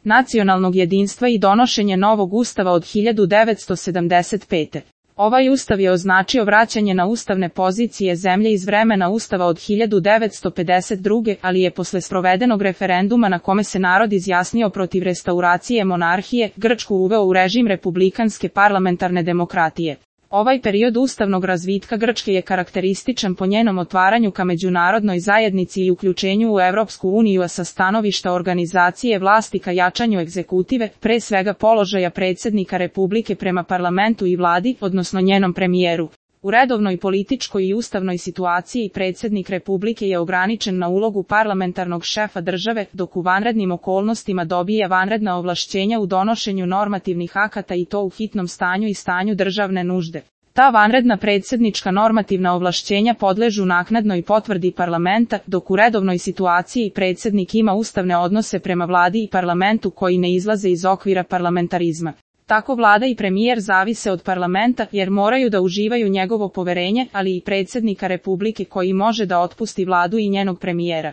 nacionalnog jedinstva i donošenje novog ustava od 1975. Ovaj ustav je označio vraćanje na ustavne pozicije zemlje iz vremena ustava od 1952. ali je posle sprovedenog referenduma na kome se narod izjasnio protiv restauracije monarhije, Grčku uveo u režim republikanske parlamentarne demokratije. Ovaj period ustavnog razvitka Grčke je karakterističan po njenom otvaranju ka međunarodnoj zajednici i uključenju u Evropsku uniju, a sa stanovišta organizacije vlasti ka jačanju egzekutive, pre svega položaja predsjednika Republike prema parlamentu i vladi, odnosno njenom premijeru. U redovnoj političkoj i ustavnoj situaciji predsjednik Republike je ograničen na ulogu parlamentarnog šefa države, dok u vanrednim okolnostima dobija vanredna ovlašćenja u donošenju normativnih akata i to u hitnom stanju i stanju državne nužde. Ta vanredna predsjednička normativna ovlašćenja podležu naknadnoj potvrdi parlamenta, dok u redovnoj situaciji predsjednik ima ustavne odnose prema vladi i parlamentu koji ne izlaze iz okvira parlamentarizma. Tako vlada i premijer zavise od parlamenta jer moraju da uživaju njegovo poverenje, ali i predsjednika Republike koji može da otpusti vladu i njenog premijera.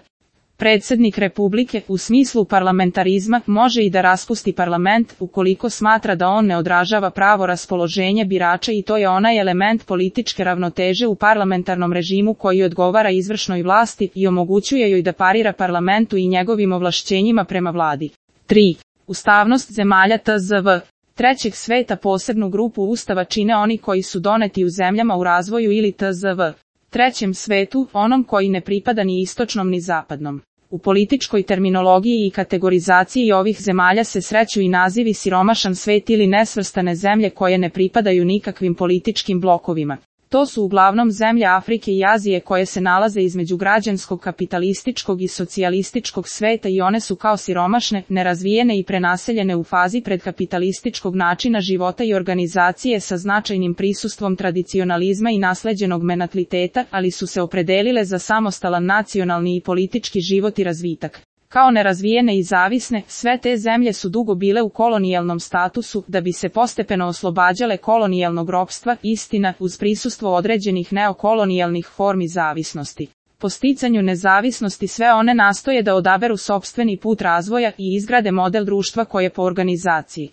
Predsjednik Republike, u smislu parlamentarizma, može i da raspusti parlament ukoliko smatra da on ne odražava pravo raspoloženje birača i to je onaj element političke ravnoteže u parlamentarnom režimu koji odgovara izvršnoj vlasti i omogućuje joj da parira parlamentu i njegovim ovlašćenjima prema vladi. 3. Ustavnost zemalja TZV. Trećeg sveta posebnu grupu ustava čine oni koji su doneti u zemljama u razvoju ili TZV. Trećem svetu, onom koji ne pripada ni istočnom ni zapadnom. U političkoj terminologiji i kategorizaciji ovih zemalja se sreću i nazivi siromašan svet ili nesvrstane zemlje koje ne pripadaju nikakvim političkim blokovima. To su uglavnom zemlje Afrike i Azije koje se nalaze između građanskog kapitalističkog i socijalističkog sveta i one su kao siromašne, nerazvijene i prenaseljene u fazi predkapitalističkog načina života i organizacije sa značajnim prisustvom tradicionalizma i nasleđenog mentaliteta, ali su se opredelile za samostalan nacionalni i politički život i razvitak. Kao nerazvijene i zavisne, sve te zemlje su dugo bile u kolonijalnom statusu, da bi se postepeno oslobađale kolonijalnog ropstva, istina, uz prisustvo određenih neokolonijalnih formi zavisnosti. Po sticanju nezavisnosti sve one nastoje da odaberu sopstveni put razvoja i izgrade model društva koje po organizaciji,